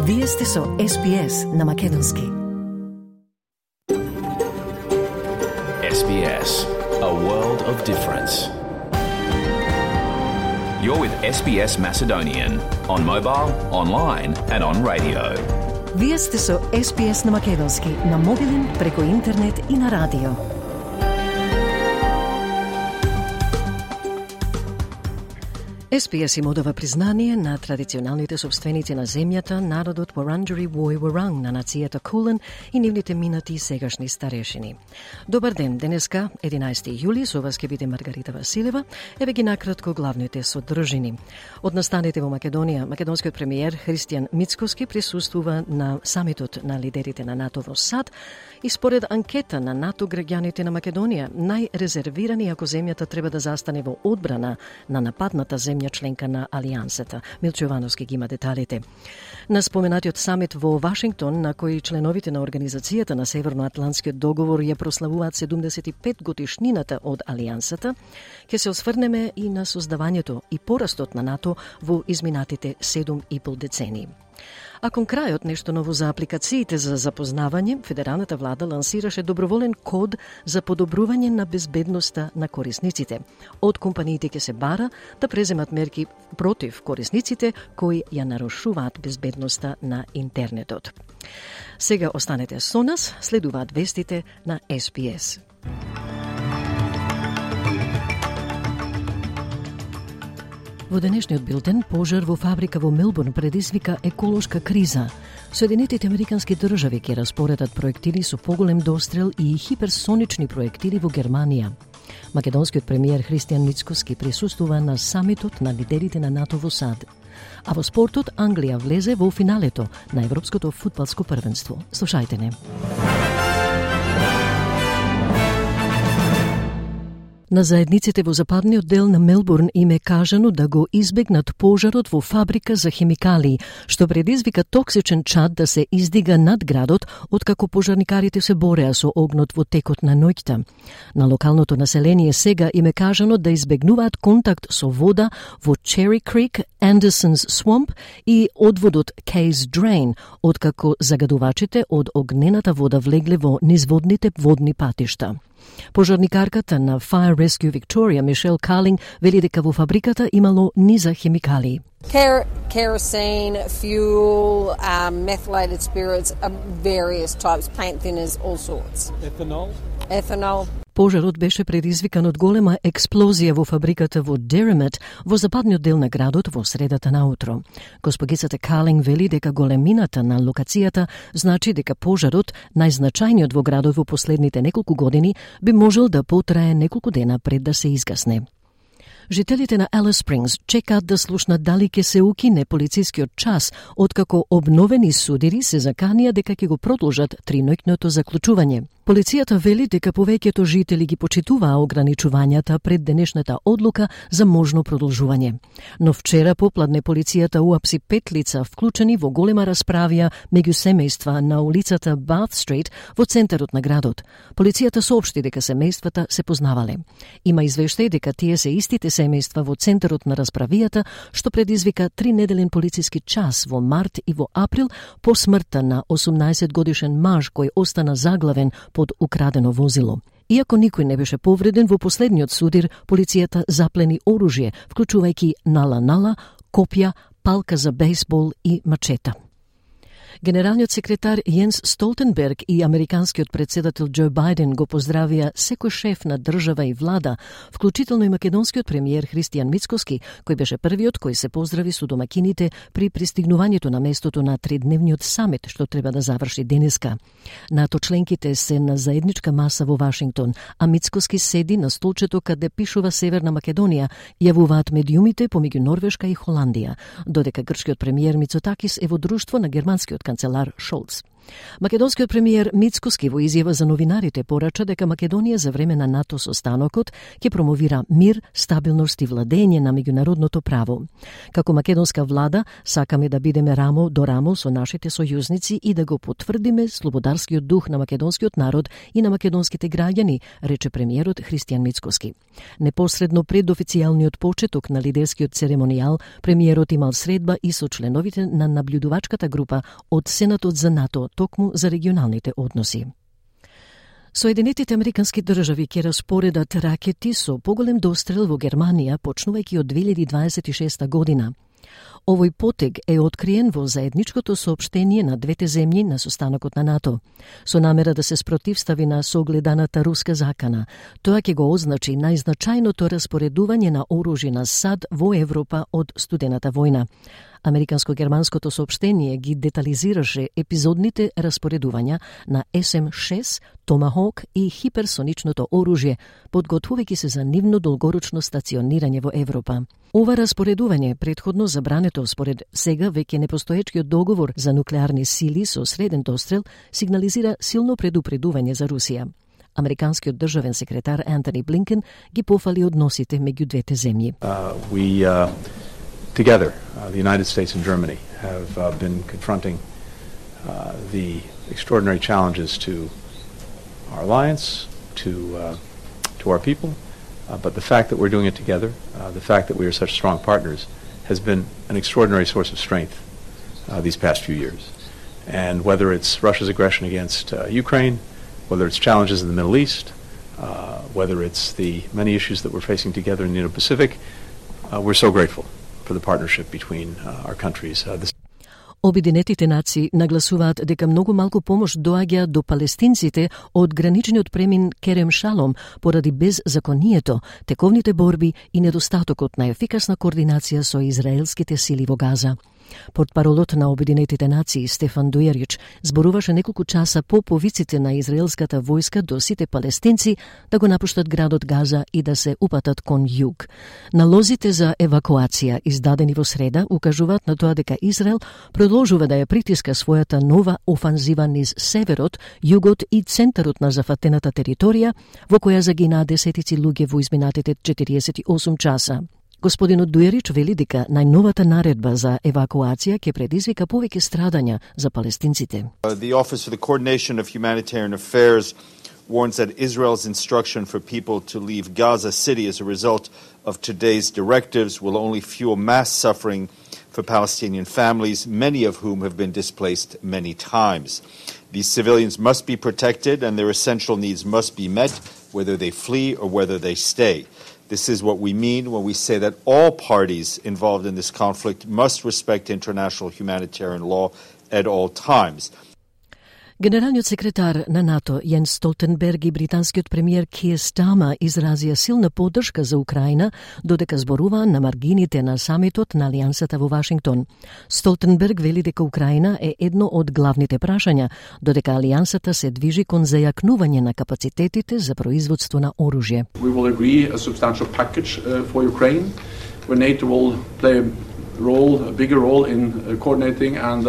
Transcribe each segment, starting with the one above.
Вие сте со SBS на Македонски. SBS, a world of difference. You're with SBS Macedonian on mobile, online and on radio. Вие сте со SBS на Македонски на мобилен, преку интернет и на радио. SBS им одава признание на традиционалните собственици на земјата, народот Wurundjeri Woi Wurrung на нацијата Кулен и нивните минати и сегашни старешини. Добар ден, денеска, 11 јули, со вас ќе биде Маргарита Василева, еве ги накратко главните содржини. Од настаните во Македонија, македонскиот премиер Христијан Мицкоски присуствува на самитот на лидерите на НАТО во САД и според анкета на НАТО граѓаните на Македонија најрезервирани ако земјата треба да застане во одбрана на нападната земја членка на Алијансата. Милчо Јовановски ги има деталите. На споменатиот самит во Вашингтон, на кој членовите на Организацијата на Северноатлантскиот договор ја прославуваат 75 годишнината од Алијансата, ќе се осврнеме и на создавањето и порастот на НАТО во изминатите 7,5 децении. А кон крајот, нешто ново за апликациите за запознавање, федералната влада лансираше доброволен код за подобрување на безбедноста на корисниците. Од компаниите ќе се бара да преземат мерки против корисниците кои ја нарушуваат безбедноста на интернетот. Сега останете со нас, следуваат вестите на SBS. Во денешниот билтен, пожар во фабрика во Мелбурн предизвика еколошка криза. Соединетите американски држави ќе распоредат проектили со поголем дострел и хиперсонични проектили во Германија. Македонскиот премиер Христијан Мицкоски присуствува на самитот на лидерите на НАТО во САД. А во спортот Англија влезе во финалето на Европското фудбалско првенство. Слушајте не. На заедниците во западниот дел на Мелбурн им е кажано да го избегнат пожарот во фабрика за хемикалии, што предизвика токсичен чад да се издига над градот, откако пожарникарите се бореа со огнот во текот на ноќта. На локалното население сега им е кажано да избегнуваат контакт со вода во Cherry Creek, Anderson's Swamp и одводот Case Drain, откако загадувачите од огнената вода влегле во низводните водни патишта. Пожарникарката на Fire Rescue Victoria, Мишел Калинг, вели дека во фабриката имало низа хемикалии. Kerosene, fuel, methylated spirits, various types, plant thinners, all sorts. Ethanol. Пожарот беше предизвикан од голема експлозија во фабриката во Derrimut, во западниот дел на градот во средата на утро. Госпогицата Калинг вели дека големината на локацијата значи дека пожарот, најзначајниот во градот во последните неколку години, би можел да потрае неколку дена пред да се изгасне. Жителите на Alice Springs чекаат да слушнат дали ќе се укине полицискиот час, откако обновени судири се заканија дека ќе го продолжат триноќното заклучување. Полицијата вели дека повеќето жители ги почитуваа ограничувањата пред денешната одлука за можно продолжување. Но вчера попладне полицијата уапси 5 лица вклучени во голема расправија меѓу семејства на улицата Bath Street во центарот на градот. Полицијата соопшти дека семејствата се познавале. Има извештај дека тие се истите семејства во центарот на расправијата, што предизвика 3-неделен полициски час во март и во април по смртта на 18 годишен маж кој остана заглавен под украдено возило. Иако никој не беше повреден, во последниот судир полицијата заплени оружје, вклучувајќи нала-нала, копја, палка за бейсбол и мачета. Генералниот секретар Јенс Столтенберг и американскиот председател Џо Бајден го поздравија секој шеф на држава и влада, вклучително и македонскиот премиер Христијан Мицкоски, кој беше првиот кој се поздрави со домакините при пристигнувањето на местото на тридневниот самит, што треба да заврши денеска. НАТО членките се на заедничка маса во Вашингтон, а Мицкоски седи на столчето каде пишува Северна Македонија, јавуваат медиумите помеѓу Норвешка и Холандија, додека грчкиот премиер Мицотакис е во друштво на германскиот канцелар Шолц. Македонскиот премиер Мицкоски во изјава за новинарите порача дека Македонија за време на НАТО состанокот ќе промовира мир, стабилност и владење на меѓународното право. Како македонска влада сакаме да бидеме рамо до рамо со нашите сојузници и да го потврдиме слободарскиот дух на македонскиот народ и на македонските граѓани, рече премиерот Христијан Мицкоски. Непосредно пред официјалниот почеток на лидерскиот церемонијал, премиерот имал средба и со членовите на наблюдувачката група од Сенатот за НАТО, токму за регионалните односи. Соединетите Американски држави ќе распоредат ракети со поголем дострел во Германија, почнувајќи од 2026 година. Овој потег е откриен во заедничкото соопштение на двете земји на состанокот на НАТО, со намера да се спротивстави на согледаната руска закана. Тоа ќе го означи најзначајното распоредување на оружје на САД во Европа од студената војна. Американско-германското соопштение ги детализираше епизодните распоредувања на SM-6, Томахок и хиперсоничното оружје, подготвувајќи се за нивно долгорочно стационирање во Европа. Ова распоредување, претходно забрането според сега веќе непостоечкиот договор за нуклеарни сили со среден дострел, сигнализира силно предупредување за Русија. Американскиот државен секретар Антони Блинкен ги пофали односите меѓу двете земји. Together, the United States and Germany have been confronting the extraordinary challenges to our alliance, to our people, but the fact that we're doing it together, the fact that we are such strong partners, has been an extraordinary source of strength these past few years. And whether it's Russia's aggression against Ukraine, whether it's challenges in the Middle East, whether it's the many issues that we're facing together in the Indo-Pacific, we're so grateful for the partnership between our countries. Обединетите нации нагласуваат дека многу малку помош доаѓа до палестинците од граничниот премин Керем Шалом поради беззаконието, тековните борби и недостатокот на ефикасна координација со израелските сили во Газа. Портпаролот на Обединетите нации Стефан Дујерич зборуваше неколку часа по повиците на израелската војска до сите палестинци да го напуштат градот Газа и да се упатат кон југ. Налозите за евакуација издадени во среда укажуваат на тоа дека Израел продолжува да ја притиска својата нова офанзива низ северот, југот и центарот на зафатената територија, во која загинаа десетици луѓе во изминатите 48 часа. Господинот Дуерич вели дека најновата наредба за евакуација ќе предизвика повеќе страдања за палестинците. The Office for the Coordination of Humanitarian Affairs warns that Israel's instruction for people to leave Gaza City as a result of today's directives will only fuel mass suffering for Palestinian families, many of whom have been displaced many times. These civilians must be protected and their essential needs must be met, whether they flee or whether they stay. This is what we mean when we say that all parties involved in this conflict must respect international humanitarian law at all times. Генералниот секретар на НАТО Јенс Столтенберг и британскиот премиер Киер Стама изразија силна поддршка за Украина, додека зборуваа на маргините на самитот на Алијансата во Вашингтон. Столтенберг вели дека Украина е едно од главните прашања, додека Алијансата се движи кон зајакнување на капацитетите за производство на оружје. We will agree a substantial package for Ukraine, where NATO will play a bigger role in coordinating and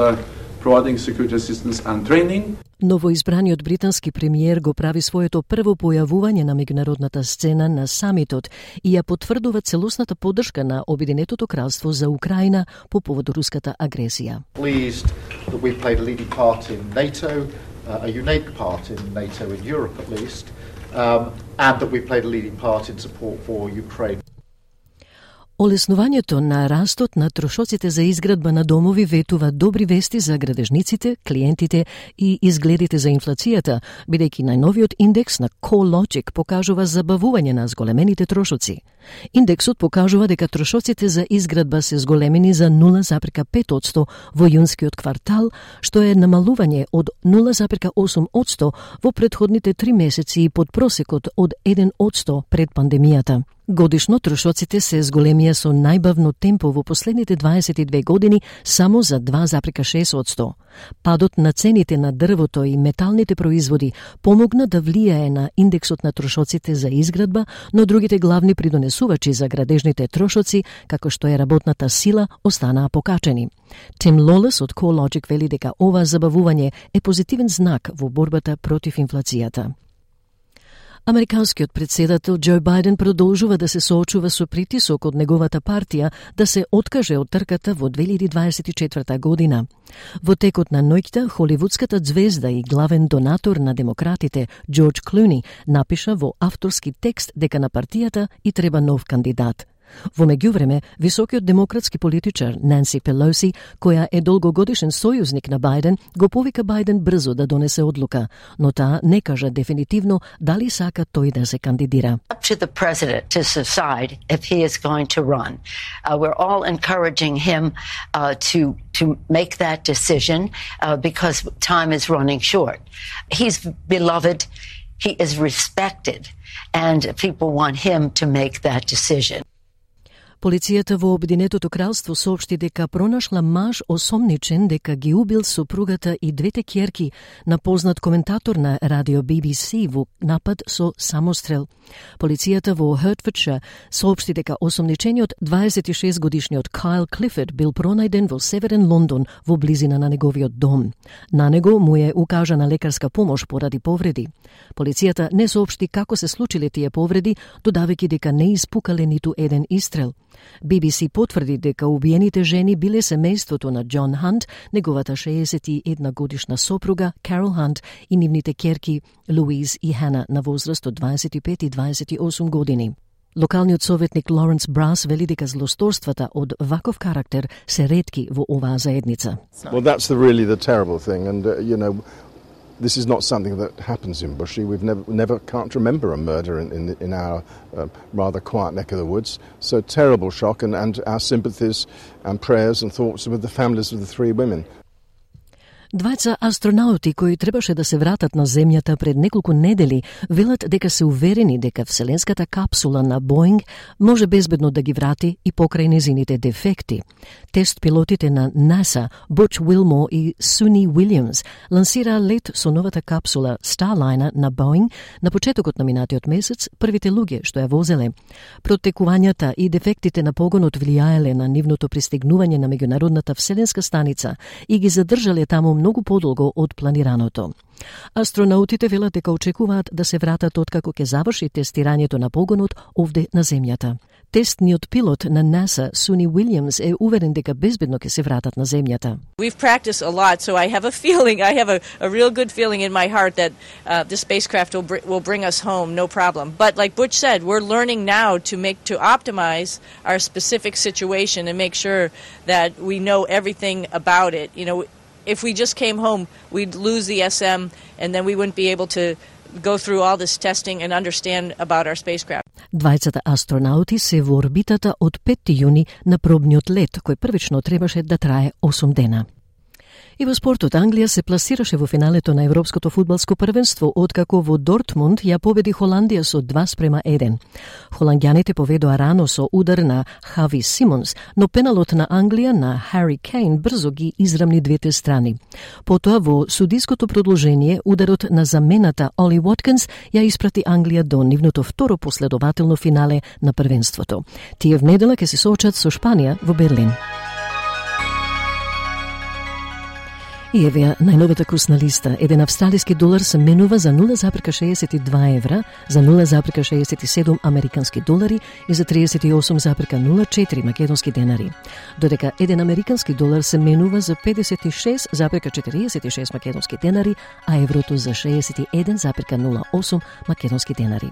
providing security assistance and training. Новоизбраниот британски премиер го прави своето прво појавување на меѓународната сцена на самитот и ја потврдува целосната поддршка на Обединетото кралство за Украина по повод руската агресија. Pleased that we played a leading part in NATO, a unique part in NATO in Europe at least, and that we played a leading part in support for Ukraine. Олеснувањето на растот на трошоците за изградба на домови ветува добри вести за градежниците, клиентите и изгледите за инфлацијата, бидејќи најновиот индекс на CoreLogic покажува забавување на зголемените трошоци. Индексот покажува дека трошоците за изградба се зголемени за 0,5% во јунскиот квартал, што е намалување од 0,8% во претходните 3 месеци и под просекот од 1% пред пандемијата. Годишно трошоците се зголемија со најбавно темпо во последните 22 години само за 2,6%. Падот на цените на дрвото и металните производи помогна да влијае на индексот на трошоците за изградба, но другите главни придонесувачи пренесувачи за градежните трошоци, како што е работната сила, останаа покачени. Тим Лолес од CoreLogic вели дека ова забавување е позитивен знак во борбата против инфлацијата. Американскиот председател Џо Бајден продолжува да се соочува со притисок од неговата партија да се откаже од трката во 2024 година. Во текот на ноќта, холивудската звезда и главен донатор на демократите Џорџ Клуни напиша во авторски текст дека на партијата и треба нов кандидат. Во меѓувреме, високиот демократски политичар Нанси Пелоси, која е долгогодишен сојузник на Бајден, го повика Бајден брзо да донесе одлука, но таа не кажа дефинитивно дали сака тој да се кандидира. Up to the president to decide if he is going to run. We're all encouraging him to make that decision because time is running short. He's beloved, he is respected, and people want him to make that decision. Полицијата во Обединетото кралство соопшти дека пронашла маж осомничен дека ги убил сопругата и двете ќерки на познат коментатор на радио BBC во напад со самострел. Полицијата во Hertfordshire соопшти дека осомничениот 26-годишниот Кайл Клифорд бил пронајден во северен Лондон во близина на неговиот дом. На него му е укажана лекарска помош поради повреди. Полицијата не соопшти како се случиле тие повреди, додавајќи дека не испукале ниту еден истрел. BBC потврди дека убиените жени биле семејството на Џон Хант, неговата 61 годишна сопруга Карол Хант и нивните ќерки Луиз и Хана на возраст од 25 и 28 години. Локалниот советник Лоренс Брас вели дека злосторствата од ваков карактер се ретки во оваа заедница. Well, that's really the terrible thing, and this is not something that happens in Bushy. We've never can't remember a murder in our rather quiet neck of the woods. So terrible shock, and our sympathies and prayers and thoughts with the families of the three women. Двајца астронаути кои требаше да се вратат на земјата пред неколку недели велат дека се уверени дека вселенската капсула на Боинг може безбедно да ги врати и покрај незините дефекти. Тест пилотите на НАСА, Буч Уилмор и Суни Уилјамс, лансираа лет со новата капсула Starliner на Боинг на почетокот на минатиот месец, првите луѓе што ја возеле. Протекувањата и дефектите на погонот влијаеле на нивното пристигнување на меѓународната вселенска станица и ги задржале таму многу подолго од планираното. Астронаутите велат дека очекуваат да се вратат откако ќе заврши тестирањето на погонот овде на земјата. Тестниот пилот на НАСА, Суни Уилјамс, е уверен дека безбедно ќе се вратат на земјата. We've practiced a lot, so I have a real good feeling in my heart that the spacecraft will bring us home, no problem. But like Butch said, we're learning now to optimize our specific situation and make sure that we know everything about it. If we just came home, we'd lose the SM, and then we wouldn't be able to go through all this testing and understand about our spacecraft. Двајцата астронаути се во орбитата од 5 јуни на пробниот лет, кој првично требаше да трае 8 дена. И во спортот, Англија се пласираше во финалето на Европското фудбалско првенство, откако во Дортмунд ја победи Холандија со 2:1. Холанѓаните поведоа рано со удар на Хави Симонс, но пеналот на Англија на Хари Кейн брзо ги израмни двете страни. Потоа во судиското продолжение, ударот на замената Оли Воткинс ја испрати Англија до нивното второ последователно финале на првенството. Тие в недела ќе се соочат со Шпанија во Берлин. И еве најновата курсна листа. Еден австралиски долар се менува за 0,62 евра, за 0,67 американски долари и за 38,04 македонски денари. Додека еден американски долар се менува за 56,46 македонски денари, а еврото за 61,08 македонски денари.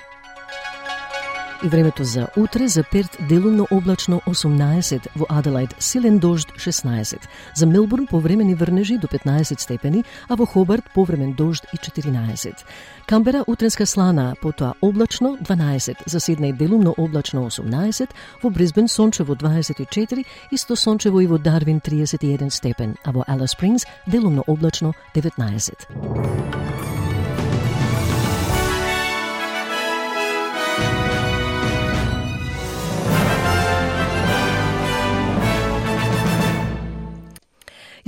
И времето за утре: за Перт делумно облачно 18, во Аделајд силен дожд 16, за Мелбурн повремени врнежи до 15 степени, а во Хобарт повремен дожд и 14. Камбера утренска слана, потоа облачно 12, за Сиднеј делумно облачно 18, во Брисбен сончево 24, исто сончево и во Дарвин 31 степен, а во Алис Спрингс делумно облачно 19.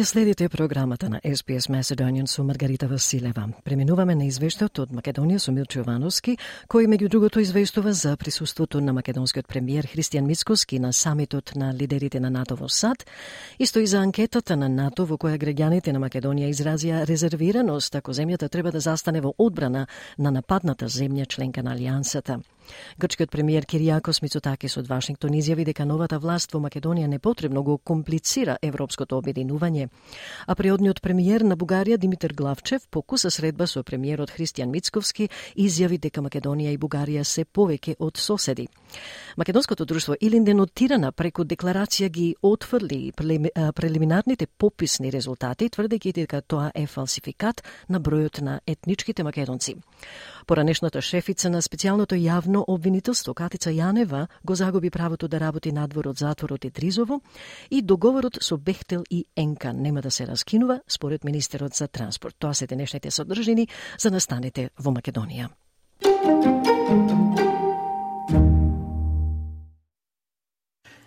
Ја следите програмата на SPS Macedonian со Маргарита Василева. Преминуваме на извештајот од Македонија со Милчо Јовановски, кој меѓу другото извештува за присуството на македонскиот премиер Христијан Мицкоски на самитот на лидерите на НАТО во САД, исто и за анкетата на НАТО во која граѓаните на Македонија изразија резервираност ако земјата треба да застане во одбрана на нападната земја членка на Алијансата. Грчкиот премиер Киријакос Мицотакис од Вашингтон изјави дека новата власт во Македонија непотребно го комплицира европското обединување. А преодниот премиер на Бугарија Димитар Главчев по куса средба со премиерот Христијан Мицковски изјави дека Македонија и Бугарија се повеќе од соседи. Македонското друштво Илинден од Тирана преку декларација ги отфрли прелиминарните пописни резултати, тврдејќи дека тоа е фалсификат на бројот на етничките македонци. Поранешната шефица на специјалното јавно обвинителство Катица Јанева го загуби правото да работи надвор од затворот и Тризово и договорот со Бехтел и Енка нема да се раскинува според министерот за транспорт. Тоа се денешните содржини за настанете во Македонија.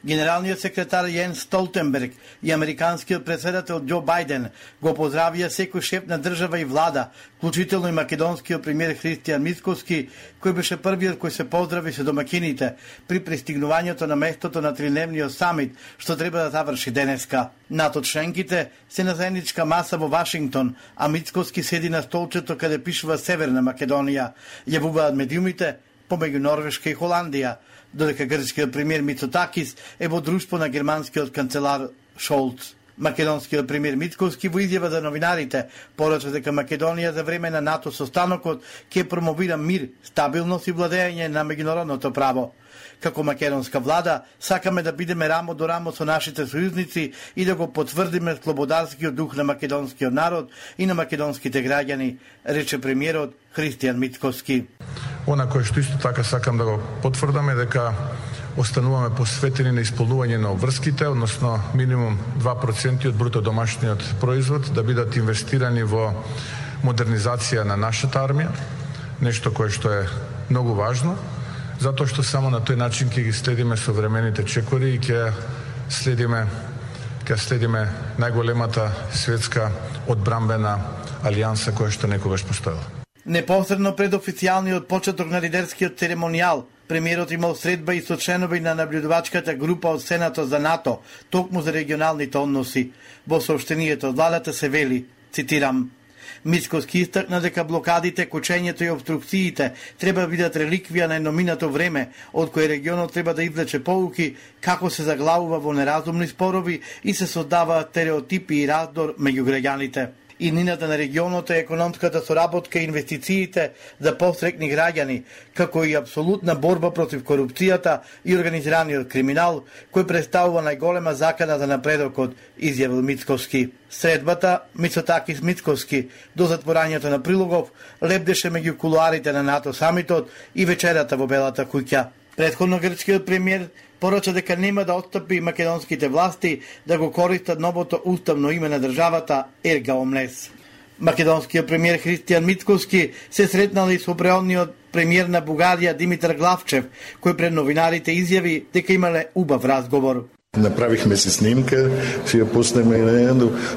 Генералниот секретар Јенс Столтенберг и американскиот претседател Џо Бајден го поздравија секој шеф на држава и влада, вклучително и македонскиот премиер Христијан Мицкоски, кој беше првиот кој се поздрави со домакините при пристигнувањето на местото на тридневниот самит, што треба да заврши денеска. НАТО членките се на заедничка маса во Вашингтон, а Мицкоски седи на столчето каде пишува Северна Македонија, јавуваат медиумите помеѓу Норвешка и Холандија, додека грчкиот премиер Мицотакис е во друштво на германскиот канцелар Шолц. Македонскиот премиер Мицкоски во изјава за новинарите порача дека Македонија за време на НАТО состанокот ќе промовира мир, стабилност и владење на меѓународното право. Како македонска влада, сакаме да бидеме рамо до рамо со нашите сојузници и да го потврдиме слободарскиот дух на македонскиот народ и на македонските граѓани, рече премиерот Христијан Мицкоски. Она кое што исто така сакам да го потврдаме дека остануваме посветени на исполнување на обврските, односно минимум 2% од бруто домашниот производ да бидат инвестирани во модернизација на нашата армија, нешто кое што е многу важно, затоа што само на тој начин ќе ги следиме современите чекори и ќе следиме најголемата светска одбрамбена алијанса која што некогаш постоела. Непосредно пред официјалниот почеток на лидерскиот церемонијал, премиерот имал средба и со членови на наблюдувачката група од Сенатот за НАТО, токму за регионалните односи. Во соопштението од владата се вели, цитирам: Мицкоски истакна дека блокадите, кучењето и обструкциите треба да бидат реликвија на едноминато време, од кој регионот треба да извлече поуки како се заглавува во неразумни спорови и се создаваат стереотипи и раздор меѓу граѓаните. Иднината на регионот е економската соработка и инвестициите за посрекни граѓани, како и апсолутна борба против корупцијата и организираниот криминал, кој представува најголема закана за напредокот, изјавил Мицкоски. Средбата Мицотакис Мицкоски до затворањето на Прилогов лебдеше меѓу кулуарите на НАТО самитот и вечерата во Белата куќа. Претходно грчкиот премиер порача дека нема да отстапи македонските власти да го користат новото уставно име на државата Ерга Омлес. Македонскиот премиер Христијан Мицкоски се сретнал и со преодниот премиер на Бугарија Димитар Главчев, кој пред новинарите изјави дека имале убав разговор. Направихме си снимка, си ја пуснеме,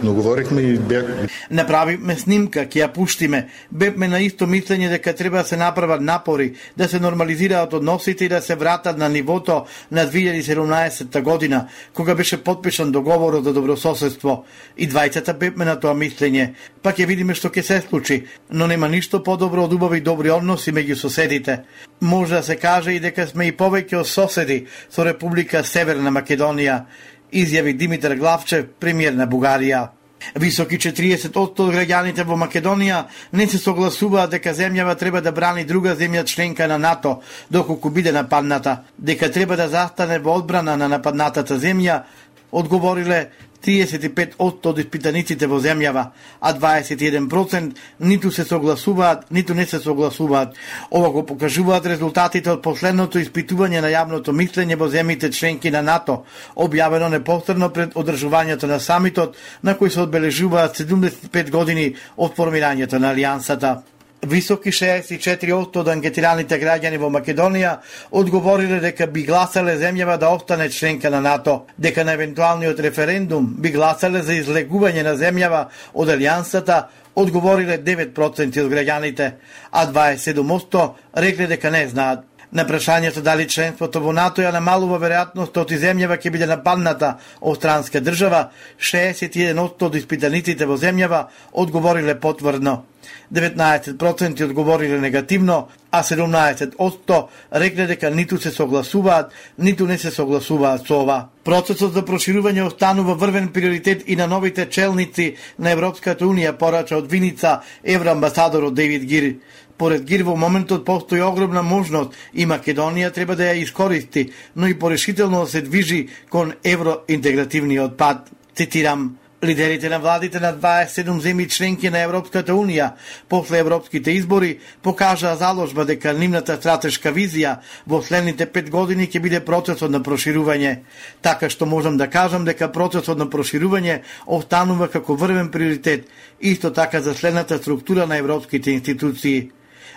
но говорихме и бях... Направивме снимка, ќе ја пуштиме. Бевме на исто мислење дека треба да се направат напори, да се нормализираат односите и да се вратат на нивото на 2017 година, кога беше подпишан договорот за добрососедство. И двајцата бевме на тоа мислење. Па ќе видиме што ќе се случи, но нема ништо подобро од убави добри односи меѓу соседите. Може да се каже и дека сме и повеќе од соседи со Република Северна Македонија, изјави Димитар Главчев, премиер на Бугарија. Високи 40% од граѓаните во Македонија не се согласуваат дека земјава треба да брани друга земја членка на НАТО доколку биде нападната, дека треба да застане во одбрана на нападнатата земја, одговориле 35% од испитаниците во земјава, а 21% ниту се согласуваат, ниту не се согласуваат. Ова го покажуваат резултатите од последното испитување на јавното мислење во земјите членки на НАТО, објавено непосредно пред одржувањето на самитот, на кој се одбележуваат 75 години од формирањето на Алијансата. Високи 64% од анкетираните граѓани во Македонија одговориле дека би гласале земјава да остане членка на НАТО, дека на евентуалниот референдум би гласале за излегување на земјава од алијансата, одговориле 9% од граѓаните, а 27% рекле дека не знаат. На прашањето дали членството во НАТО ја намалува веројатноста од земјава ќе биде нападната од странска држава, 61% од испитаниците во земјава одговориле потврдно. 19% одговориле негативно, а 17% рекле дека ниту се согласуваат, ниту не се согласуваат со ова. Процесот за проширување останува врвен приоритет и на новите челници на Европската Унија, порача од Виница евроамбасадорот Дейвид Гир. Поред Гир во моментот постои огромна можност и Македонија треба да ја искористи, но и порешително да се движи кон евроинтегративниот пат. Цитирам: лидерите на владите на 27 земји членки на Европската Унија после европските избори покажаа заложба дека нивната стратешка визија во следните 5 години ќе биде процесот на проширување. Така што можам да кажам дека процесот на проширување останува како врвен приоритет, исто така за следната структура на европските институции.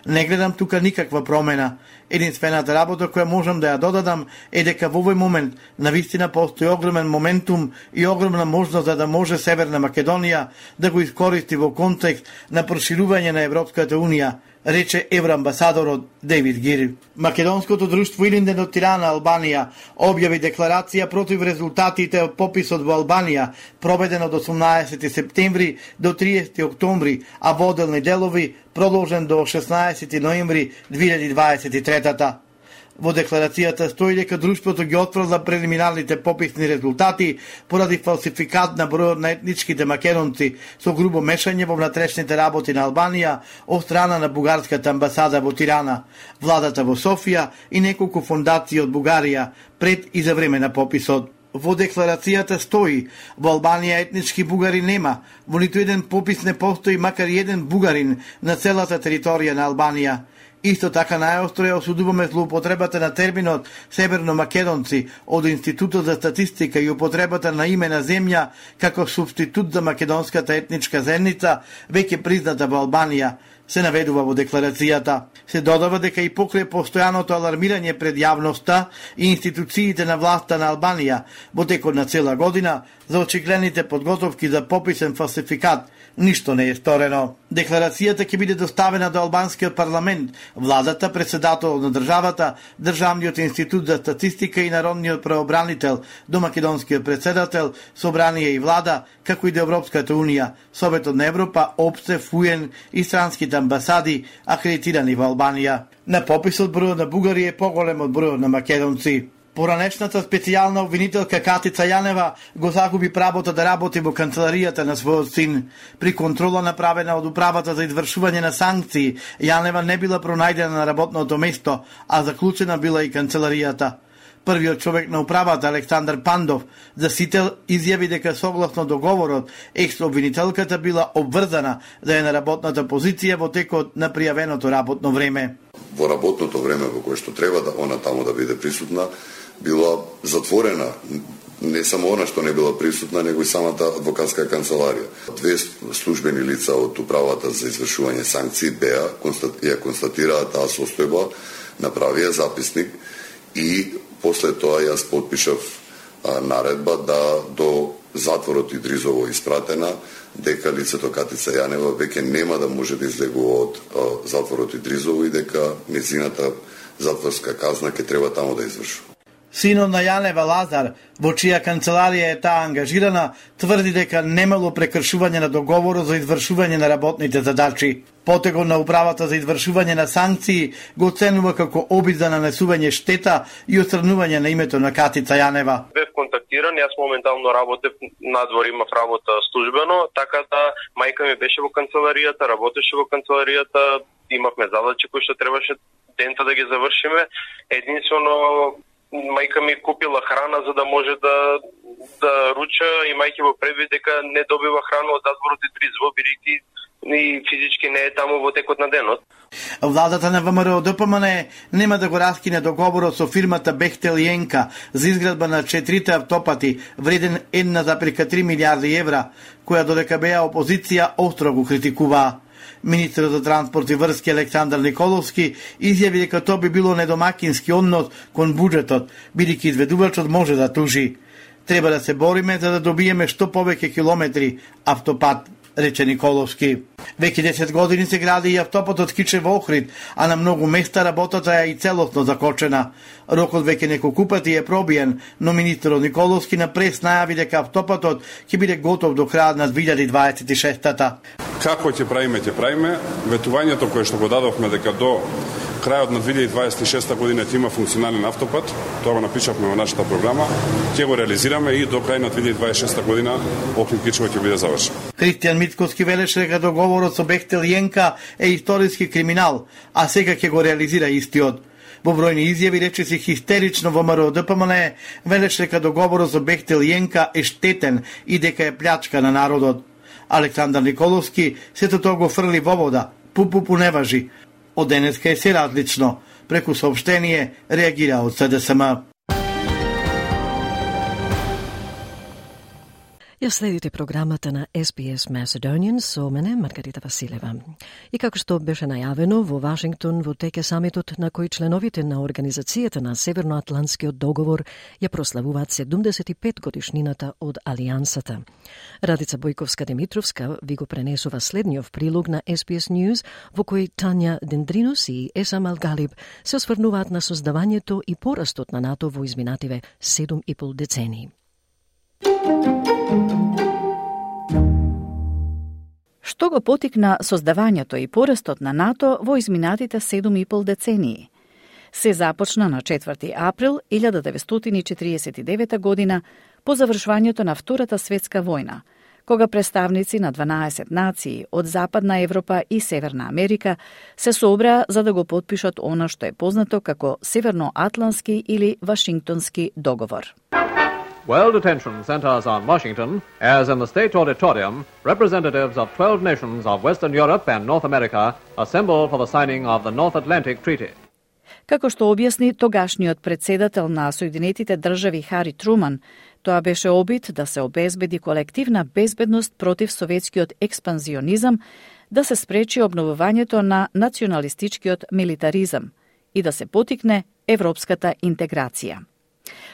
Не гледам тука никаква промена. Единствената работа која можам да ја додадам е дека во овој момент навистина постои огромен моментум и огромна можност за да може Северна Македонија да го искористи во контекст на проширување на Европската Унија, рече евроамбасадорот Дейвид Гир. Македонското друштво Илинден од Тирана, Албанија, објави декларација против резултатите од пописот во Албанија, проведен од 18 септември до 30 октомври, а во оделни делови продолжен до 16 ноември 2023. Во декларацијата стои дека друштвото ги отфрла прелиминарните пописни резултати поради фалсификат на бројот на етничките македонци со грубо мешање во внатрешните работи на Албанија од страна на бугарската амбасада во Тирана, владата во Софија и неколку фондации од Бугарија пред и за време на пописот. Во декларацијата стои: во Албанија етнички бугари нема, во ниту еден попис не постои макар и еден бугарин на целата територија на Албанија. Исто така најостро ја осудуваме злоупотребата на терминот северно-македонци од Институтот за статистика и употребата на име на земја како субститут за македонската етничка заедница, веќе призната во Албанија, се наведува во декларацијата. Се додава дека и покрај постојаното алармирање пред јавноста и институциите на власта на Албанија во текот на цела година за очигледните подготовки за пописен фалсификат, ништо не е сторено. Декларацијата ќе биде доставена до албанскиот парламент, владата, председателот на државата, Државниот институт за статистика и народниот правобранител, до македонскиот председател, собрание и влада, како и до Европската Унија, Советот на Европа, ОПСЕ, ФУЕН и странските амбасади акредитирани во Албанија. На пописот бројот на бугари е поголем од бројот на македонци. Поранешната специјална обвинителка Катица Јанева го загуби правото да работи во канцеларијата на својот син. При контрола направена од управата за извршување на санкции, Јанева не била пронајдена на работното место, а заклучена била и канцеларијата. Првиот човек на управата, Александар Пандов, за сител изјави дека согласно договорот, екс-обвинителката била обврзана да е на работната позиција во текот на пријавеното работно време. Во работното време во кое што треба да она таму да биде присутна, била затворена. Не само она што не била присутна, него и самата адвокатска канцеларија. Две службени лица од управата за извршување санкции ја констатираа таа состојба, направија записник и после тоа јас подпишав наредба да до затворот Идризово испратена, дека лицето Катица Јанева веќе нема да може да излегува од затворот Идризово и дека незината затворска казна ќе треба таму да извршува. Синот на Јанева, Лазар, во чија канцеларија е таа ангажирана, тврди дека немало прекршување на договорот за извршување на работните задачи. Потегот на управата за извршување на санкции го оценува како обид за нанесување штета и отстранување на името на Катица Јанева. Бев контактиран, јас моментално работев надвор, имав работа службено, така да мајка ми беше во канцеларијата, работеше во канцеларијата, имавме задачи кои што требаше дента да ги завршиме. Единствено мајка ми купила храна за да може да руча, имајќи во предвид дека не добива храна од затворот Идризово, бидејќи и физички не е таму во текот на денот. Владата на ВМРО ДПМН нема да го раскине договорот со фирмата Бехтел и Енка за изградба на 4 автопати вреден 1,3 милиарди евра, која додека беа опозиција остро го критикуваа. Министерот за транспорт и врски Александар Николовски изјави дека тоа би било недомакински однос кон буџетот, бидејќи изведувачот може да тужи. Треба да се бориме за да добиеме што повеќе километри автопат, рече Николовски. Веќе 10 години се гради и автопатот Кичево-Охрид, а на многу места работата е и целосно закочена. Рокот веќе неколку пати е пробиен, но министерот Николовски на прес најави дека автопатот ќе биде готов до крајот на 2026-та. Како ќе правиме, ветувањето кое што го дадовме дека до крајот на 2026 година ќе има функционален автопат, тоа го напишавме во нашата програма, ќе го реализираме и до крај на 2026 година Охрид-Кичево ќе биде завршен. Христијан Мицковски велеше дека договорот со Бехтел Јенка е историски криминал, а сега ќе го реализира истиот. Во бројни изјави речиси хистерично во МРО-ДПМН велеше дека договорот со Бехтел Јенка е штетен и дека е плячка на народот. Александар Николовски сето тоа го фрли во вода, пупу не важи. Од денеска е се различно. Преку сообштение реагира од СДСМ. Ја следите програмата на SBS Macedonian со мене, Маргарита Василева. И како што беше најавено, во Вашингтон во тек е самитот на кој членовите на Организацијата на Северноатлантскиот договор ја прославуваат 75 годишнината од Алијансата. Радица Бојковска-Димитровска ви го пренесува следниот прилог на SBS News, во кој Тања Дендринус и Есам Алгалиб се осврнуваат на создавањето и порастот на НАТО во изминативе 7,5 децении. Што го потикна создавањето и порастот на НАТО во изминатите 7,5 децении? Се започна на 4 април 1949 година по завршувањето на Втората светска војна, кога представници на 12 нации од Западна Европа и Северна Америка се собраа за да го потпишат она што е познато како Северноатлантски или Вашингтонски договор. World attention centers on Washington, as in the State Auditorium, representatives of 12 nations of Western Europe and North America assemble for the signing of the North Atlantic Treaty. Како што објасни тогашниот председател на Соединетите држави Хари Труман, тоа беше обид да се обезбеди колективна безбедност против советскиот експанзионизам, да се спречи обновувањето на националистичкиот милитаризам и да се потикне европската интеграција.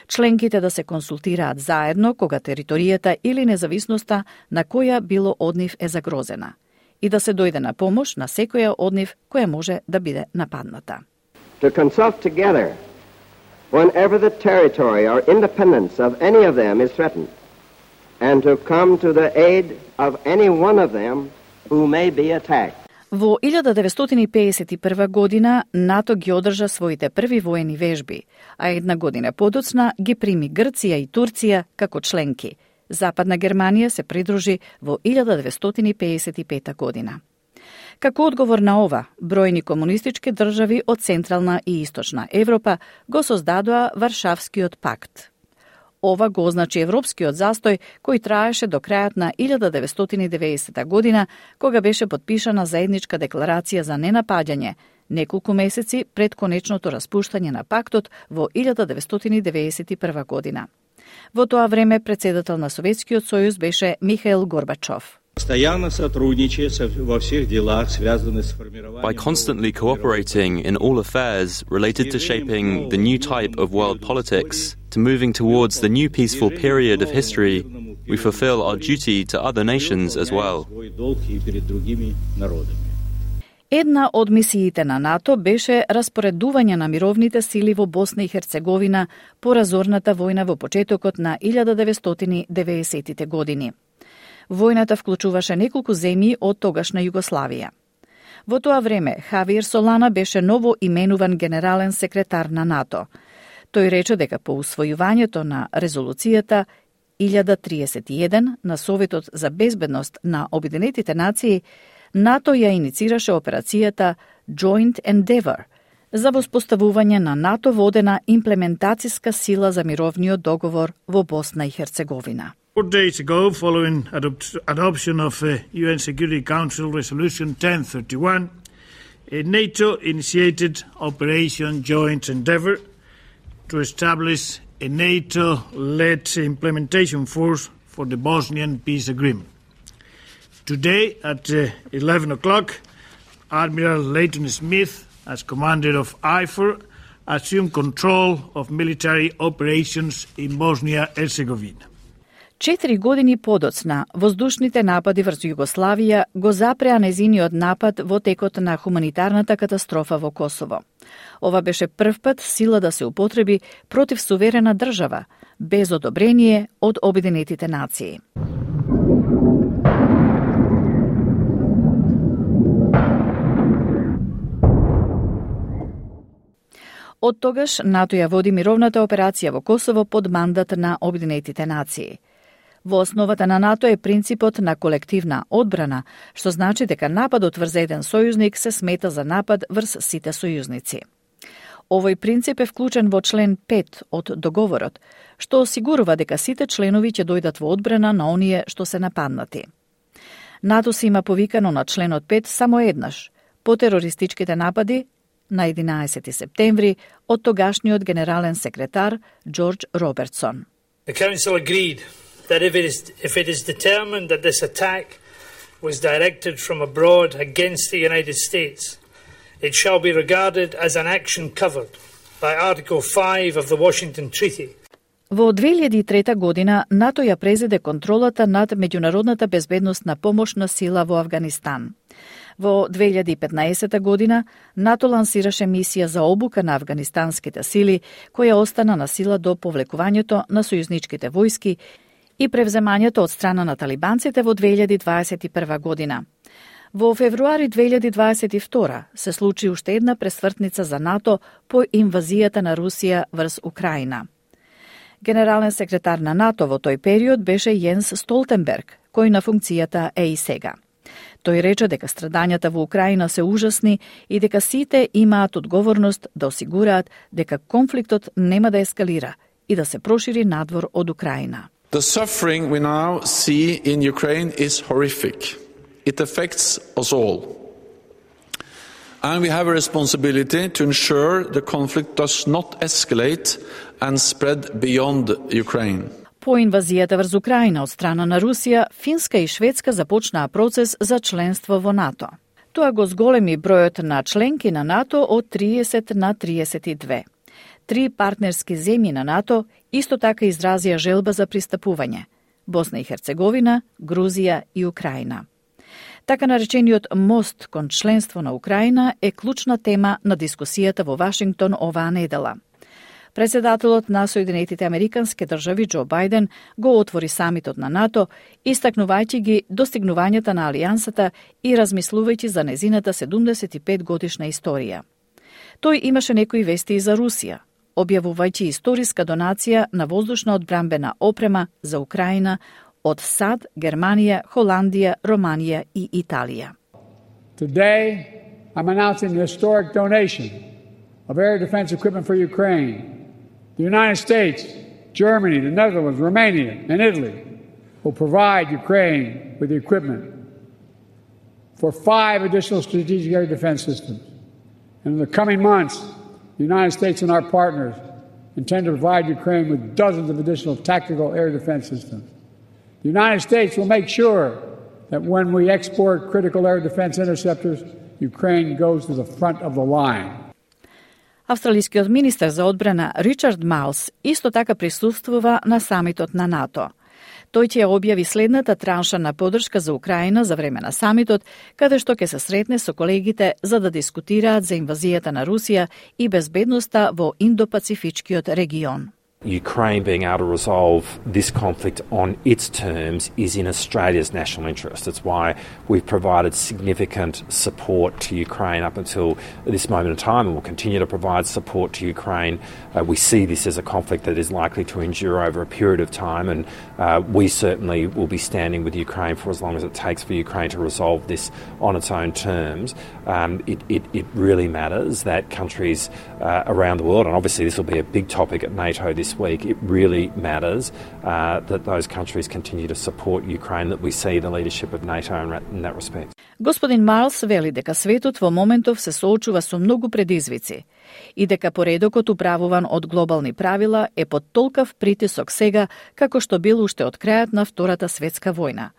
Членките да се консултираат заедно кога територијата или независноста на која било од нив е загрозена и да се дојде на помош на секоја од нив која може да биде нападната. To consult together whenever the territory or independence of any of them is threatened and to come to the aid of any one of them who may be attacked. Во 1951 година НАТО ги одржа своите први воени вежби, а една година подоцна ги прими Грција и Турција како членки. Западна Германија се придружи во 1955 година. Како одговор на ова, бројни комунистички држави од Централна и Источна Европа го создадоа Варшавскиот пакт. Ова го означи европскиот застој кој траеше до крајот на 1990 година, кога беше подпишана заедничка декларација за ненапаѓање, неколку месеци пред конечното распуштање на пактот во 1991 година. Во тоа време председател на Советскиот сојуз беше Михаил Горбачов. By constantly cooperating in all affairs related to shaping the new type of world politics, to moving towards the new peaceful period of history, we fulfill our duty to other nations as well. Една од мисиите на НАТО беше распоредување на мировните сили во Босна и Херцеговина по разорната војна во почетокот на 1990-тите години. Војната вклучуваше неколку земји од тогашна Југославија. Во тоа време Хавиер Солана беше ново именуван генерален секретар на НАТО. Тој рече дека по усвојувањето на резолуцијата 1031 на Советот за безбедност на Обединетите нации, НАТО ја иницираше операцијата Joint Endeavour за воспоставување на НАТО водена имплементацијска сила за мировниот договор во Босна и Херцеговина. 4 days ago, following adoption of UN Security Council Resolution 1031, NATO initiated Operation Joint Endeavour to establish a NATO-led implementation force for the Bosnian peace agreement. Today at 11 o'clock, Admiral Leighton Smith, as commander of IFOR, assumed control of military operations in Bosnia-Herzegovina. 4 години подоцна, воздушните напади врз Југославија го запреа незиниот напад во текот на хуманитарната катастрофа во Косово. Ова беше прв пат сила да се употреби против суверена држава, без одобрение од Обединетите нации. Од тогаш НАТО ја води мировната операција во Косово под мандат на Обединетите нации. Во основата на НАТО е принципот на колективна одбрана, што значи дека нападот врз еден сојузник се смета за напад врз сите сојузници. Овој принцип е вклучен во член 5 од договорот, што осигурува дека сите членови ќе дојдат во одбрана на оние што се нападнати. НАТО се има повикано на членот 5 само еднаш, по терористичките напади на 11 септември од тогашниот генерален секретар Џорџ Робертсон. The Council agreed that if it is determined that this attack was directed from abroad against the United States, it shall be regarded as an action covered by Article 5 of the Washington Treaty. Во 2003 година НАТО ја презеде контролата над меѓународната безбедносна помошна сила во Авганистан. Во 2015 година НАТО лансираше мисија за обука на афганистанските сили, која остана на сила до повлекувањето на сојузничките војски и превземањето од страна на талибанците во 2021 година. Во февруари 2022 се случи уште една пресвртница за НАТО по инвазијата на Русија врз Украина. Генерален секретар на НАТО во тој период беше Јенс Столтенберг, кој на функцијата е и сега. Тој рече дека страдањата во Украина се ужасни и дека сите имаат одговорност да осигураат дека конфликтот нема да ескалира и да се прошири надвор од Украина. The suffering we now see in Ukraine is horrific. It affects us all. And we have a responsibility to ensure the conflict does not escalate and spread beyond Ukraine. По инвазијата врз Украина од страна на Русија, Финска и Шведска започнаа процес за членство во НАТО. Тоа го зголеми бројот на членки на НАТО од 30 на 32. 3 партнерски земји на НАТО исто така изразија желба за пристапување – Босна и Херцеговина, Грузија и Украина. Така наречениот мост кон членство на Украина е клучна тема на дискусијата во Вашингтон оваа недела. Председателот на Соединетите Американски држави Џо Бајден го отвори самитот на НАТО, истакнувајќи ги достигнувањата на алијансата и размислувајќи за незината 75 годишна историја. Тој имаше некои вести и за Русија, објавувајќи историска донација на воздушна одбранбена опрема за Украина од САД, Германија, Холандија, Романија и Италија. Today, I'm announcing the historic donation of air defense equipment for Ukraine. The United States, Germany, the Netherlands, Romania, and Italy will provide Ukraine with the equipment for 5 additional strategic air defense systems. And in the coming months, the United States and our partners intend to provide Ukraine with dozens of additional tactical air defense systems. The United States will make sure that when we export critical air defense interceptors, Ukraine goes to the front of the line. Австралискиот министер за одбрана Ричард Маус исто така присуствува на самитот на НАТО. Тој ќе објави следната транша на поддршка за Украина за време на самитот, каде што ќе се сретне со колегите за да дискутираат за инвазијата на Русија и безбедноста во Индо-Пацифичкиот регион. Ukraine being able to resolve this conflict on its terms is in Australia's national interest. It's why we've provided significant support to Ukraine up until this moment in time, and will continue to provide support to Ukraine. We see this as a conflict that is likely to endure over a period of time, and we certainly will be standing with Ukraine for as long as it takes for Ukraine to resolve this on its own terms. It really matters that countries around the world, and obviously this will be a big topic at NATO this week, it really matters that those countries continue to support Ukraine, that we see the leadership of NATO in that respect. Господин Марлс вели дека светот во моментов се соочува со многу предизвици и дека поредокот управуван од глобални правила е под толкав притисок сега како што бил уште од крајот на Втората светска војна.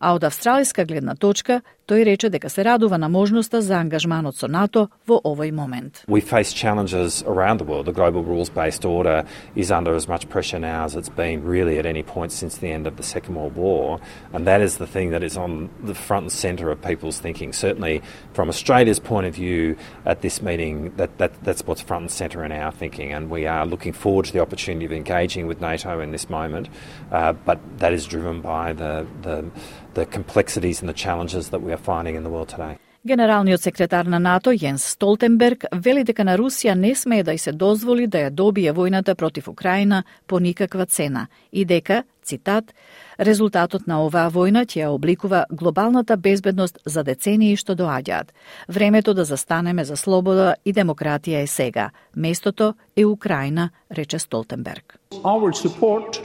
А од австралиска гледна точка, тој рече дека се радува на можноста за ангажманот со НАТО во овој момент. We face challenges around the world. The global rules-based order is under as much pressure now as it's been really at any point since the end of the Second World War, and that is the thing that is on the front and centre of people's thinking. Certainly from Australia's point of view at this meeting, that's what's front and centre in our thinking, and we are looking forward to the opportunity of engaging with NATO in this moment, but that is driven by the complexities and the challenges that we are finding in the world today. Генералниот секретар на НАТО Јенс Столтенберг вели дека на Русија не смее да й се дозволи да ја добие војната против Украина по никаква цена и дека, цитат, резултатот на оваа војна ќе ја обликува глобалната безбедност за децении што доаѓаат. Времето да застанеме за слобода и демократија е сега. Местото е Украина, рече Столтенберг. Our support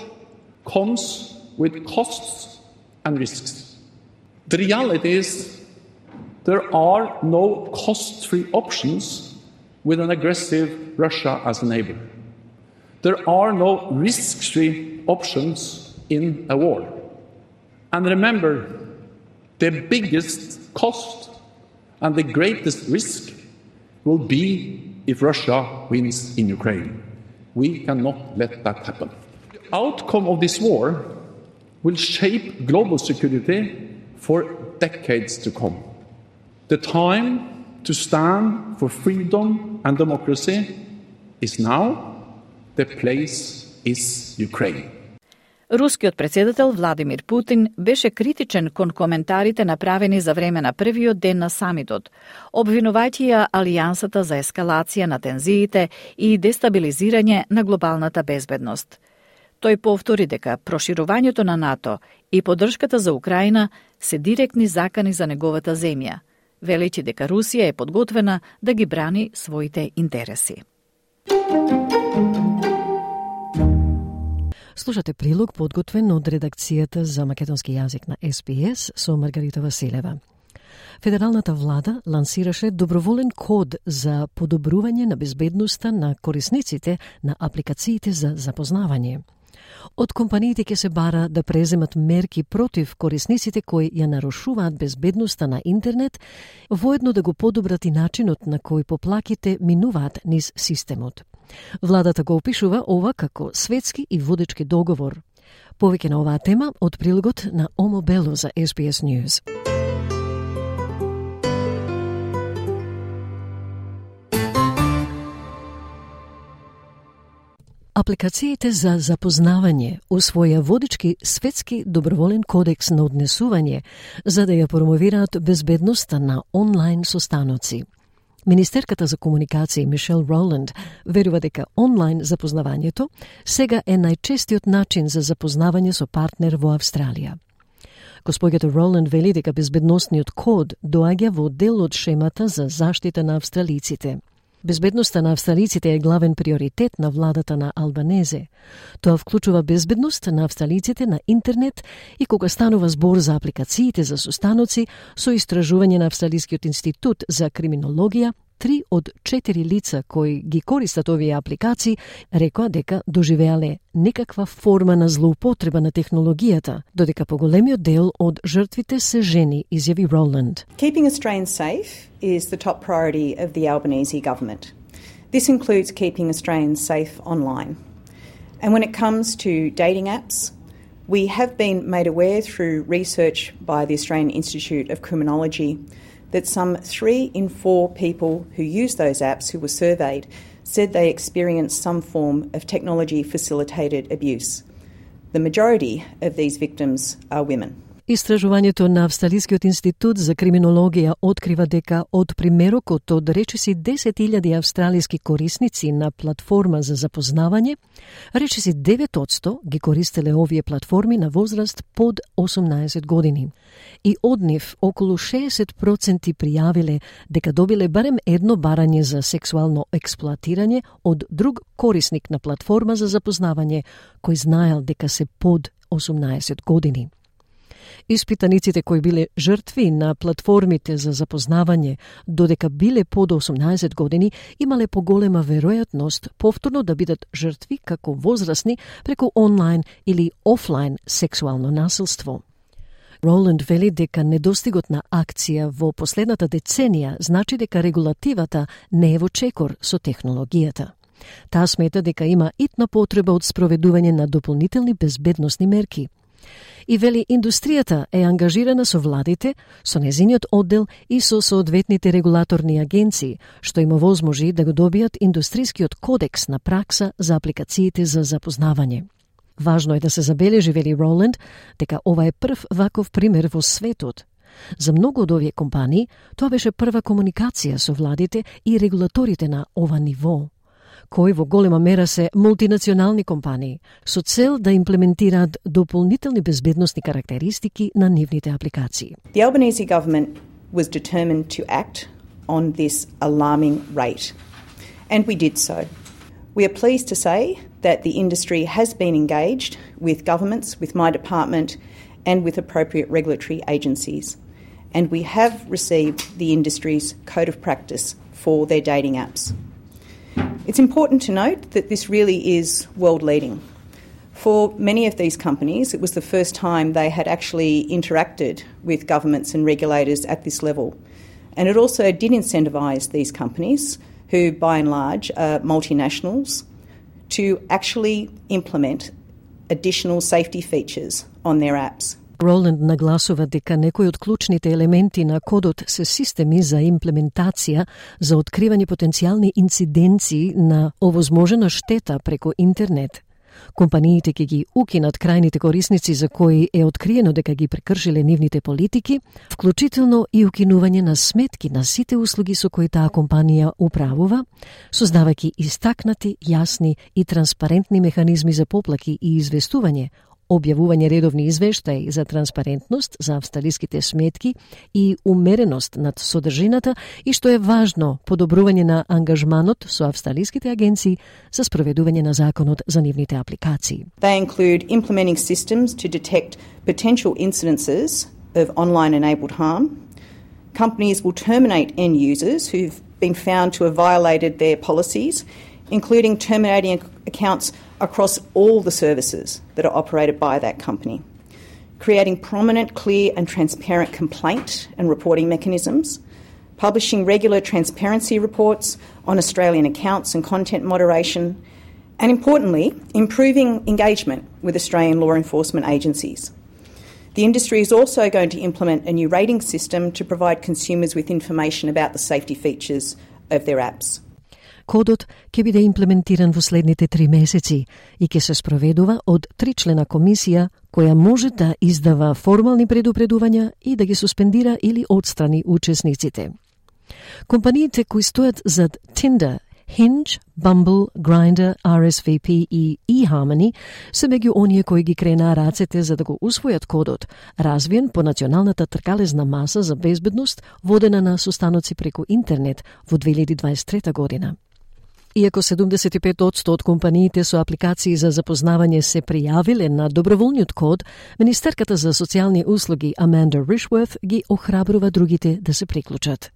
comes with costs and risks. The reality is there are no cost-free options with an aggressive Russia as a neighbor. There are no risk-free options in a war. And remember, the biggest cost and the greatest risk will be if Russia wins in Ukraine. We cannot let that happen. The outcome of this war will shape global security for decades to come. The time to stand for freedom and democracy is now. The place is Ukraine. Рускиот председател Владимир Путин беше критичен кон коментарите направени за време на првиот ден на самитот, обвинувајќи ја Алијансата за ескалација на тензиите и дестабилизирање на глобалната безбедност. Тој повтори дека проширувањето на НАТО и поддршката за Украина се директни закани за неговата земја, велејќи дека Русија е подготвена да ги брани своите интереси. Слушате прилог подготвен од редакцијата за македонски јазик на СБС со Маргарита Василева. Федералната влада лансираше доброволен код за подобрување на безбедноста на корисниците на апликациите за запознавање. Од компаниите ќе се бара да преземат мерки против корисниците кои ја нарушуваат безбедноста на интернет, воедно да го подобрат и начинот на кој поплаките минуваат низ системот. Владата го опишува ова како светски и водечки договор. Повеќе на оваа тема од прилогот на Омо Бело за SBS News. Апликациите за запознавање усвоја водички светски доброволен кодекс на однесување за да ја промовираат безбедноста на онлайн состаноци. Министерката за комуникации Мишел Роланд верува дека онлайн запознавањето сега е најчестиот начин за запознавање со партнер во Австралија. Госпоѓата Роланд вели дека безбедносниот код доаѓа во дел од шемата за заштита на австралиците. Безбедноста на австралиците е главен приоритет на владата на Албанезе. Тоа вклучува безбедност на австралиците на интернет и кога станува збор за апликациите за состаноци, со истражување на Австралискиот институт за криминологија, 3 од 4 лица кои ги користат овие апликации рекоа дека доживеале некаква форма на злоупотреба на технологијата, додека поголемиот дел од жртвите се жени, изјави Роланд. Keeping Australians safe is the top priority of the Albanese government. This includes keeping Australians safe online. And when it comes to dating apps, we have been made aware through research by the Australian Institute of Criminology that some 3 in 4 people who use those apps who were surveyed said they experienced some form of technology-facilitated abuse. The majority of these victims are women. Истражувањето на Австралискиот институт за криминологија открива дека од примерокот од речиси 10.000 австралиски корисници на платформа за запознавање, речиси 9% ги користеле овие платформи на возраст под 18 години. И од нив околу 60% пријавиле дека добиле барем едно барање за сексуално експлоатирање од друг корисник на платформа за запознавање кој знаел дека се под 18 години. Испитаниците кои биле жртви на платформите за запознавање, додека биле под 18 години, имале поголема веројатност повторно да бидат жртви како возрастни преку онлайн или офлайн сексуално насилство. Роланд вели дека недостигот на акција во последната деценија значи дека регулативата не е во чекор со технологијата. Таа смета дека има итна потреба од спроведување на дополнителни безбедносни мерки. И вели индустријата е ангажирана со владите, со незиниот оддел и со соодветните регулаторни агенции, што им овозможи да го добијат индустрискиот кодекс на пракса за апликациите за запознавање. Важно е да се забележи, вели Роланд, дека ова е прв ваков пример во светот. За многу од овие компании, тоа беше прва комуникација со владите и регулаторите на ова ниво, кои во голема мера се мултинационални компании, со цел да имплементираат дополнителни безбедносни карактеристики на нивните апликации. The Albanese government was determined to act on this alarming rate, and we did so. We are pleased to say that the industry has been engaged with governments, with my department, and with appropriate regulatory agencies. And we have received the industry's code of practice for their dating apps. It's important to note that this really is world-leading. For many of these companies, it was the first time they had actually interacted with governments and regulators at this level. And it also did incentivise these companies, who by and large are multinationals, to actually implement additional safety features on their apps. Роланд нагласува дека некои од клучните елементи на кодот се системи за имплементација за откривање потенцијални инциденции на овозможена штета преку интернет. Компаниите ќе ги укинат крајните корисници за кои е откриено дека ги прекршиле нивните политики, вклучително и укинување на сметки на сите услуги со кои таа компанија управува, создавајќи истакнати, јасни и транспарентни механизми за поплаки и известување, објавување редовни извештаи за транспарентност за австралиските сметки и умереност над содржината и, што е важно, подобрување на ангажманот со австралиските агенции за спроведување на законот за нивните апликации. They include implementing systems to detect potential incidences of online-enabled harm. Companies will terminate end users who've been found to have violated their policies, including terminating accounts across all the services that are operated by that company, creating prominent, clear and transparent complaint and reporting mechanisms, publishing regular transparency reports on Australian accounts and content moderation, and importantly, improving engagement with Australian law enforcement agencies. The industry is also going to implement a new rating system to provide consumers with information about the safety features of their apps. Кодот ќе биде имплементиран во следните 3 месеци и ќе се спроведува од 3-члена комисија која може да издава формални предупредувања и да ги суспендира или отстрани учесниците. Компаниите кои стојат зад Tinder, Hinge, Bumble, Grindr, RSVP и eHarmony се меѓу оние кои ги кренаа рацете за да го усвојат кодот, развиен по националната тркалезна маса за безбедност водена на состаноци преку интернет во 2023 година. Иако 75% од компаниите со апликации за запознавање се пријавиле на доброволниот код, Министерката за социјални услуги Аманда Ришворth ги охрабрува другите да се приклучат.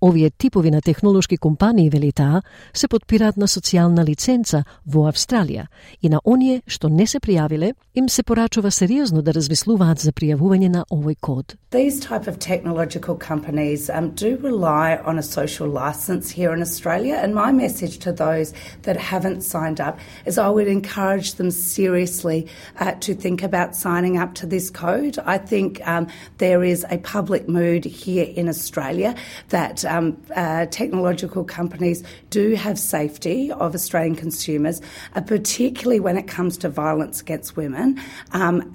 Овие типови на технолошки компании, вели таа, се подпираат на социјална лиценца во Австралија и на оние што не се пријавиле, им се порачува сериозно да размислуваат за пријавување на овој код. These type of technological companies do rely on a social license here in Australia, and my message to those that haven't signed up is I would encourage them seriously to think about signing up to this code. I think there is a public mood here in Australia that technological companies do have safety of Australian consumers, particularly when it comes to violence against women,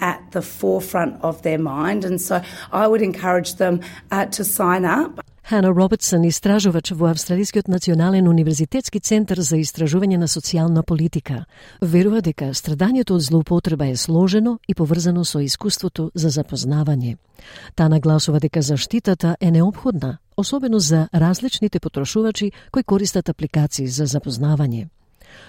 at the forefront of their mind. And so I would encourage them to sign up. Хана Робертсон, истражувач во Австралискиот национален универзитетски центар за истражување на социјална политика, верува дека страдањето од злоупотреба е сложено и поврзано со искуството за запознавање. Таа нагласува дека заштитата е неопходна, особено за различните потрошувачи кои користат апликации за запознавање.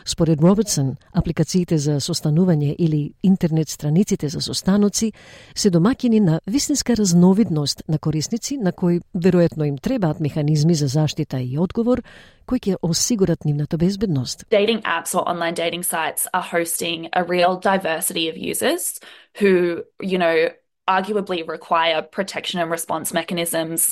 Според Робертсон, апликациите за состанување или интернет страниците за состаноци се домаќини на вистинска разновидност на корисници на кои веројатно им требаат механизми за заштита и одговор кои ќе осигурат нивната безбедност. Dating apps or online dating sites are hosting a real diversity of users who, arguably require protection and response mechanisms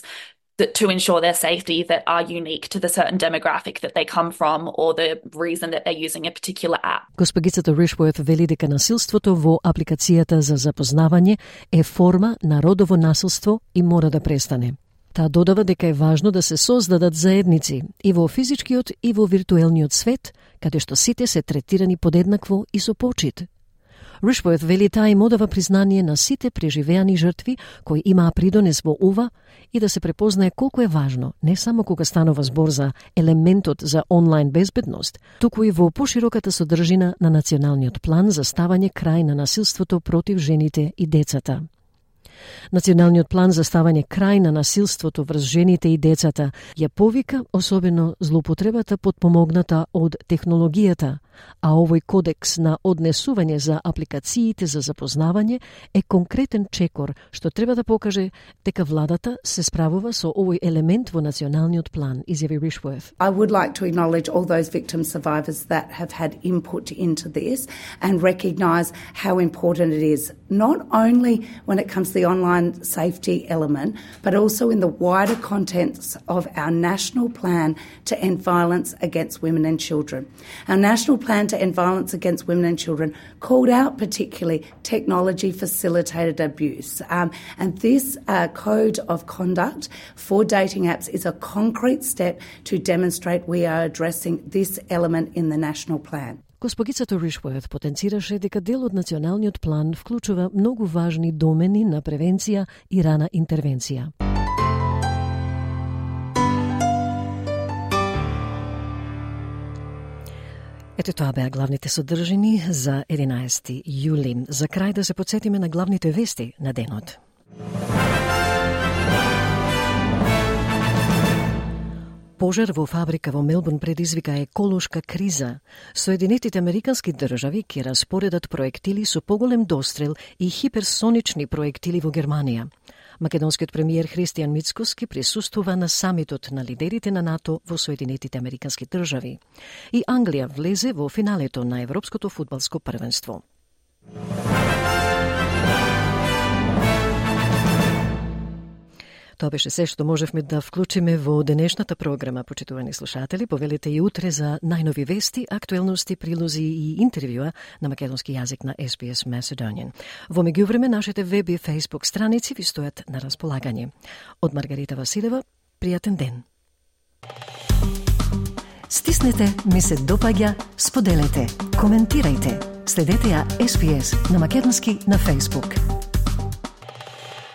to ensure their safety that are unique to the certain demographic that they come from or the reason that they're using a particular app. Госпогицата Rushworth вели дека насилството во апликацијата за запознавање е форма на родово насилство и мора да престане. Таа додава дека е важно да се создадат заедници и во физичкиот и во виртуелниот свет, каде што сите се третирани подеднакво и со почит. Rushworth вели таа им одава признание на сите преживеани жртви кои имаа придонес во ова и да се препознае колку е важно, не само кога станува збор за елементот за онлайн безбедност, туку и во пошироката содржина на Националниот план за ставање крај на насилството против жените и децата. Националниот план за ставање крај на насилството врз жените и децата ја повика особено злоупотребата подпомогната од технологијата, а овој кодекс на однесување за апликациите за запознавање е конкретен чекор што треба да покаже дека владата се справува со овој елемент во националниот план, изјави Rushworth. I would like to acknowledge all those victim survivors that have had input into this and recognise how important it is, not only when it comes to the online safety element, but also in the wider contents of our national plan to end violence against women and children. Our national plan to end violence against women and children called out particularly technology-facilitated abuse. And this code of conduct for dating apps is a concrete step to demonstrate we are addressing this element in the national plan. Госпогицата Rushworth потенцираше дека дел од националниот план вклучува многу важни домени на превенција и рана интервенција. Ето тоа беа главните содржини за 11 јули. За крај да се потсетиме на главните вести на денот. Пожар во фабрика во Мелбурн предизвика еколошка криза. Соединетите американски држави ќе распоредат проектили со поголем дострел и хиперсонични проектили во Германија. Македонскиот премиер Христијан Мицкоски присуствува на самитот на лидерите на НАТО во Соединетите американски држави. И Англија влезе во финалето на Европското фудбалско првенство. Тоа беше се што можевме да вклучиме во денешната програма, почитувани слушатели. Повелете и утре за најнови вести, актуелности, прилози и интервјуа на македонски јазик на SBS Macedonian. Во меѓувреме, нашите веб и Facebook страници ви стојат на располагање. Од Маргарита Василева, пријатен ден. Стиснете, ми се допаѓа, споделете, коментирајте. Следете ја SBS на македонски на Facebook.